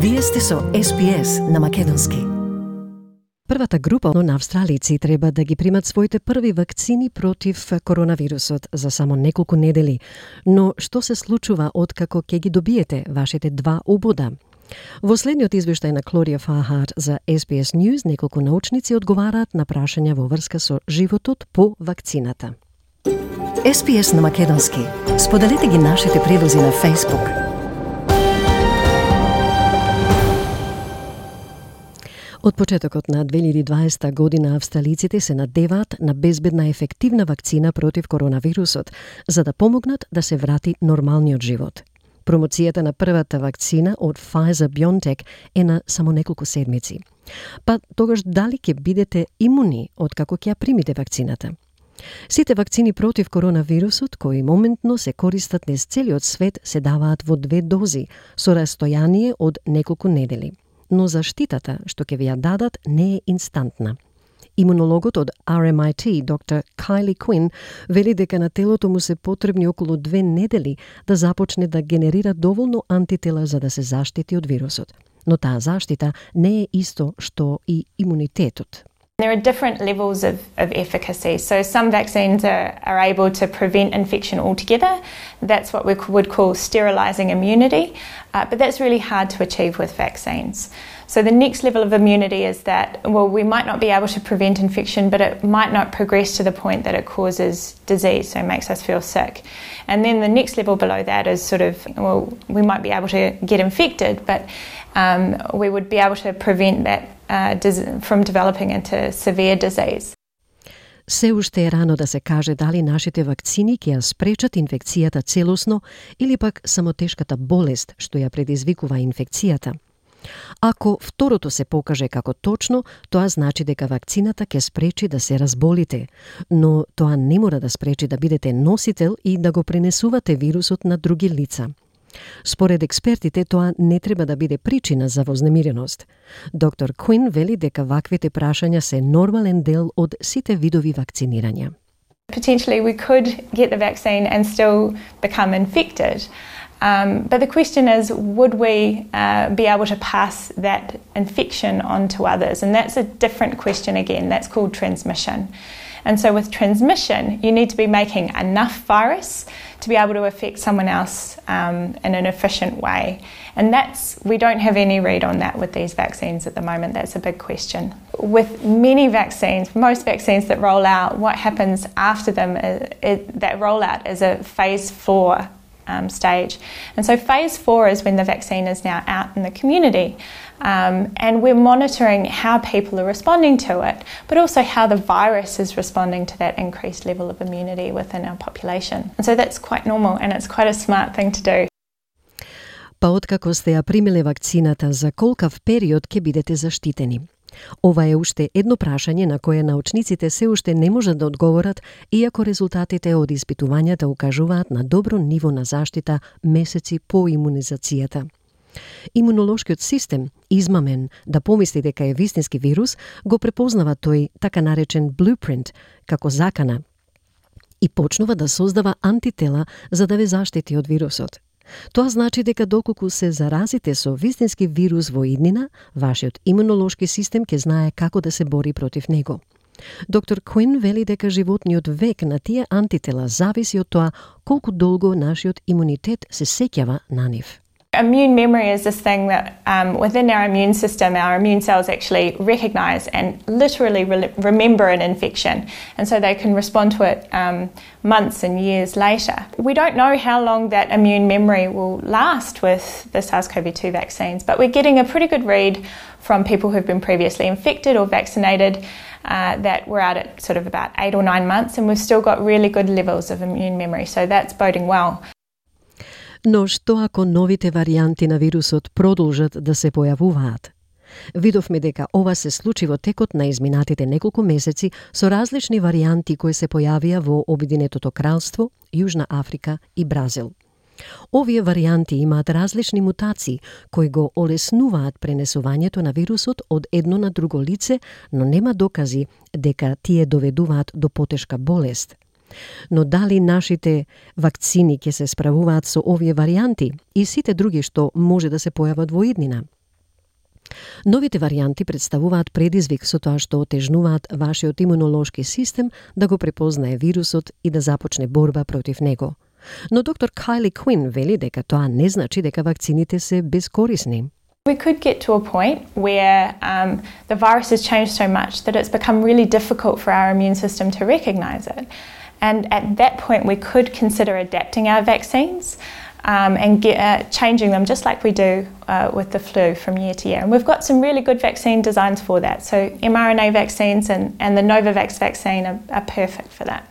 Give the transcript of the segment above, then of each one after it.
Вие сте со SPS на македонски. Првата група на австралици треба да ги примат своите први вакцини против коронавирусот за само неколку недели. Но што се случува откако ќе ги добиете вашите два убода? Во следниот извештај на Клодија Фархарт за SBS News, неколку научници одговараат на прашања во врска со животот по вакцината. SPS на македонски. Споделете ги нашите предлози на Facebook. Од почетокот на 2020 година австралиците се надеваат на безбедна ефективна вакцина против коронавирусот, за да помогнат да се врати нормалниот живот. Промоцијата на првата вакцина од Pfizer-BioNTech е на само неколку седмици. Па тогаш дали ќе бидете имуни откако ќе ја примите вакцината? Сите вакцини против коронавирусот, кои моментно се користат низ целиот свет, се даваат во 2 дози, со растојание од неколку недели. Но заштитата што ќе ви ја дадат не е инстантна. Имунологот од RMIT, доктор Kylie Quinn, вели дека на телото му се потребни околу 2 недели да започне да генерира доволно антитела за да се заштити од вирусот. Но таа заштита не е исто што и имунитетот. There are different levels of efficacy. So some vaccines are able to prevent infection altogether. That's what we would call sterilising immunity. But that's really hard to achieve with vaccines. So the next level of immunity is that, well, we might not be able to prevent infection, but it might not progress to the point that it causes disease, so it makes us feel sick. And then the next level below that is sort of, well, we might be able to get infected, but we would be able to prevent that from developing into severe disease. Се уште е рано да се каже дали нашите вакцини ќе ја спречат инфекцијата целосно или пак само тешката болест што ја предизвикува инфекцијата. Ако второто се покаже како точно, тоа значи дека вакцината ќе спречи да се разболите, но тоа не мора да спречи да бидете носител и да го пренесувате вирусот на други лица. Според експертите, тоа не треба да биде причина за вознемиреност. Доктор Куин вели дека ваквите прашања се нормален дел од сите видови вакцинирање. Potentially we could get the vaccine and still become infected. But the question is, would we be able to pass that infection on to others? And that's a different question again. That's called transmission. And so with transmission, you need to be making enough virus to be able to affect someone else in an efficient way. And we don't have any read on that with these vaccines at the moment. That's a big question. With many vaccines, most vaccines that roll out, what happens after them, that rollout is a phase 4 stage. And so phase 4 is when the vaccine is now out in the community. And we're monitoring how people are responding to it, but also how the virus is responding to that increased level of immunity within our population. And so that's quite normal and it's quite a smart thing to do. Па откако сте ја примиле вакцината, за колкав период ќе бидете заштитени? Ова е уште едно прашање на кое научниците се уште не можат да одговорат, иако резултатите од испитувањата укажуваат на добро ниво на заштита месеци по имунизацијата. Имунолошкиот систем, измамен да помисли дека е вистински вирус, го препознава тој така наречен blueprint како закана и почнува да создава антитела за да ве заштити од вирусот. Тоа значи дека доколку се заразите со вистински вирус во иднина, вашиот имунолошки систем ќе знае како да се бори против него. Доктор Куин вели дека животниот век на тие антитела зависи од тоа колку долго нашиот имунитет се сеќава на нив. Immune memory is this thing that within our immune system, our immune cells actually recognise and literally remember an infection. And so they can respond to it months and years later. We don't know how long that immune memory will last with the SARS-CoV-2 vaccines, but we're getting a pretty good read from people who've been previously infected or vaccinated that we're out at sort of about 8 or 9 months and we've still got really good levels of immune memory. So that's boding well. Но што ако новите варијанти на вирусот продолжат да се појавуваат? Видовме дека ова се случи во текот на изминатите неколку месеци со различни варијанти кои се појавија во Обединетото кралство, Јужна Африка и Бразил. Овие варијанти имаат различни мутации кои го олеснуваат пренесувањето на вирусот од едно на друго лице, но нема докази дека тие доведуваат до потешка болест. Но дали нашите вакцини ќе се справуваат со овие варијанти и сите други што може да се појават во иднина? Новите варијанти представуваат предизвик со тоа што отежнуваат вашиот имунолошки систем да го препознае вирусот и да започне борба против него. Но доктор Kylie Quinn вели дека тоа не значи дека вакцините се безкорисни. We could get to a point where the virus has changed so much that it's become really difficult for our immune system to recognise it. And at that point we could consider adapting our vaccines and changing them just like we do with the flu from year to year. And we've got some really good vaccine designs for that. So mRNA vaccines and the Novavax vaccine are perfect for that.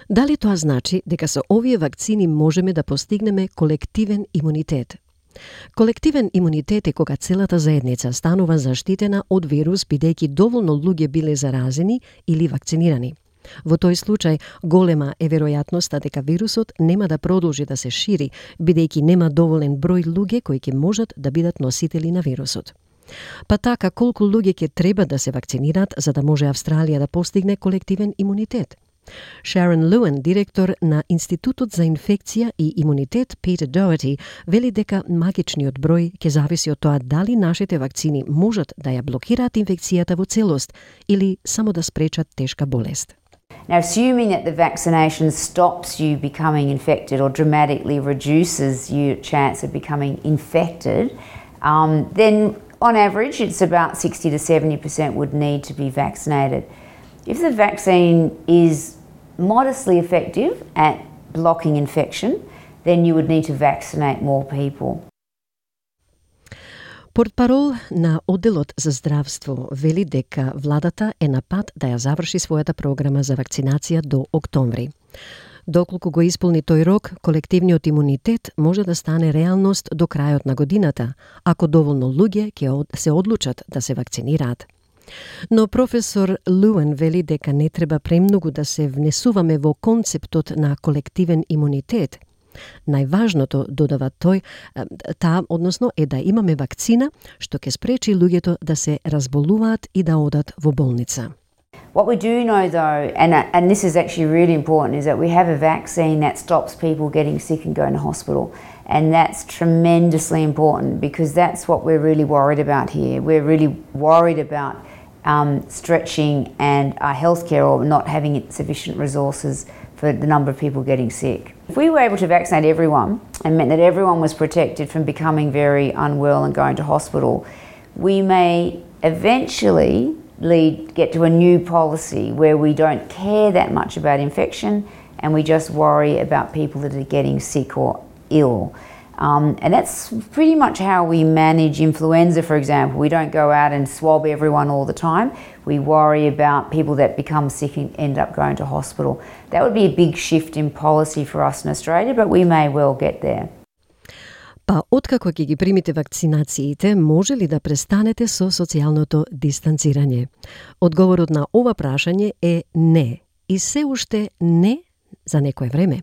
Дали тоа значи дека со овие вакцини можеме да постигнеме колективен имунитет? Колективен имунитет е кога целата заедница станува заштитена од вирус бидејќи доволно луѓе биле заразени или вакцинирани. Во тој случај, голема е веројатноста дека вирусот нема да продолжи да се шири, бидејќи нема доволен број луѓе кои ќе можат да бидат носители на вирусот. Па така, колку луѓе ќе треба да се вакцинираат за да може Австралија да постигне колективен имунитет? Sharon Lewin, директор на Институтот за инфекција и имунитет Peter Doherty, вели дека магичниот број ќе зависи од тоа дали нашите вакцини можат да ја блокираат инфекцијата во целост или само да спречат тешка болест. Now, assuming that the vaccination stops you becoming infected or dramatically reduces your chance of becoming infected, then on average it's about 60 to 70% would need to be vaccinated. If the vaccine is modestly effective at blocking infection, then you would need to vaccinate more people. Портпарол на Одделот за здравство вели дека владата е на пат да ја заврши својата програма за вакцинација до октомври. Доколку го исполни тој рок, колективниот имунитет може да стане реалност до крајот на годината, ако доволно луѓе ќе се одлучат да се вакцинираат. Но професор Луен вели дека не треба премногу да се внесуваме во концептот на колективен имунитет. Најважното, додава тој, односно е да имаме вакцина што ќе спречи луѓето да се разболуваат и да одат во болница. What we do know though, and this is actually really important, is that we have a vaccine that stops people getting sick and going to hospital. And that's tremendously important because that's what we're really worried about here. We're really worried about stretching and our healthcare or not having sufficient resources for the number of people getting sick. If we were able to vaccinate everyone and meant that everyone was protected from becoming very unwell and going to hospital, we may eventually get to a new policy where we don't care that much about infection and we just worry about people that are getting sick or ill. And that's pretty much how we manage influenza, for example. We don't go out and swab everyone all the time. We worry about people that become sick and end up going to hospital. That would be a big shift in policy for us in Australia, but we may well get there. Па откако ќе ги примите вакцинациите, може ли да престанете со социјалното дистанцирање? Одговорот на ова прашање е не. И се уште не за некое време.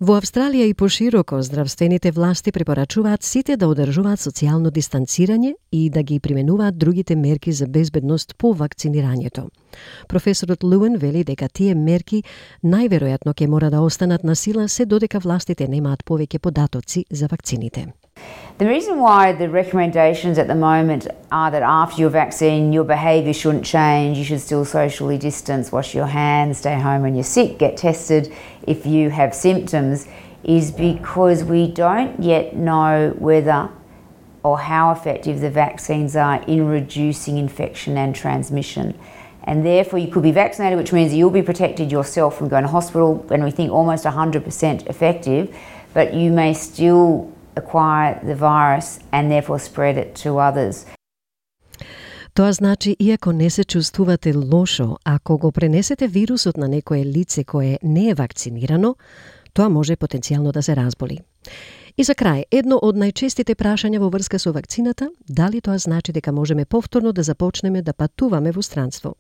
Во Австралија и пошироко здравствените власти препорачуваат сите да одржуваат социјално дистанцирање и да ги применуваат другите мерки за безбедност по вакцинирањето. Професорот Луен вели дека тие мерки најверојатно ќе мора да останат на сила се додека властите немаат повеќе податоци за вакцините. The reason why the recommendations at the moment are that after your vaccine, your behaviour shouldn't change, you should still socially distance, wash your hands, stay home when you're sick, get tested if you have symptoms, is because we don't yet know whether or how effective the vaccines are in reducing infection and transmission. And therefore you could be vaccinated, which means you'll be protected yourself from going to hospital, and we think almost 100% effective, but you may still acquire the virus and therefore spread it to others. Тоа значи, иако не се чувствувате лошо, ако го пренесете вирусот на некое лице кое не е вакцинирано, тоа може потенцијално да се разболи. И за крај, едно од најчестите прашања во врска со вакцината, дали тоа значи дека можеме повторно да започнеме да патуваме во странство.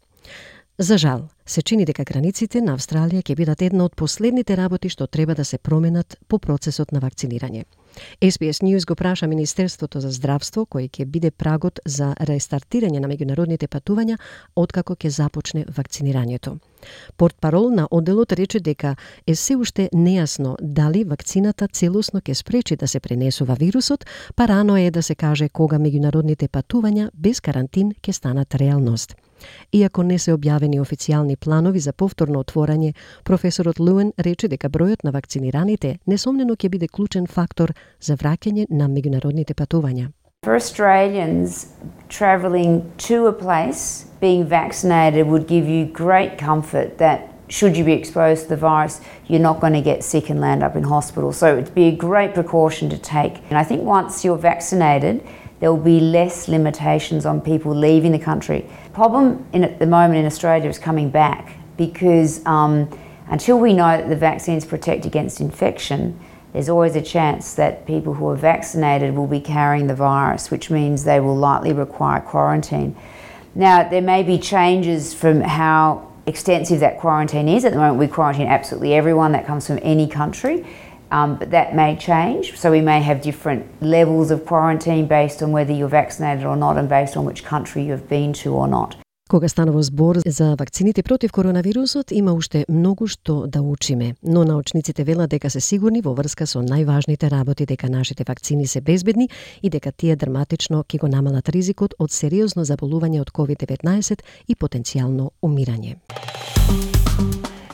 За жал, се чини дека границите на Австралија ќе бидат една од последните работи што треба да се променат по процесот на вакцинирање. SBS News го праша Министерството за здравство кој ќе биде прагот за рестартирање на меѓународните патувања откако ќе започне вакцинирањето. Портпарол на одделот рече дека е се уште нејасно дали вакцината целосно ќе спречи да се пренесува вирусот, па рано е да се каже кога меѓународните патувања без карантин ќе станат реалност. Иако не се објавени официјални планови за повторно отворање, професорот Луен рече дека бројот на вакцинираните несомнено ќе биде клучен фактор за враќање на меѓународните патувања. For Australians, travelling to a place, being vaccinated would give you great comfort that should you be exposed to the virus, you're not going to get sick and land up in hospital. So it'd be a great precaution to take. And I think once you're vaccinated, there will be less limitations on people leaving the country. The problem at the moment in Australia is coming back because until we know that the vaccines protect against infection, there's always a chance that people who are vaccinated will be carrying the virus, which means they will likely require quarantine. Now, there may be changes from how extensive that quarantine is. At the moment, we quarantine absolutely everyone that comes from any country, but that may change. So we may have different levels of quarantine based on whether you're vaccinated or not and based on which country you've been to or not. Кога станува збор за вакцините против коронавирусот, има уште многу што да учиме, но научниците велат дека се сигурни во врска со најважните работи дека нашите вакцини се безбедни и дека тие драматично ќе го намалат ризикот од сериозно заболување од COVID-19 и потенцијално умирање.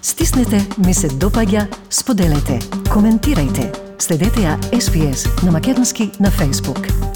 Стиснете, ми се допаѓа, споделете, коментирајте. Следете ја SBS на македонски на Facebook.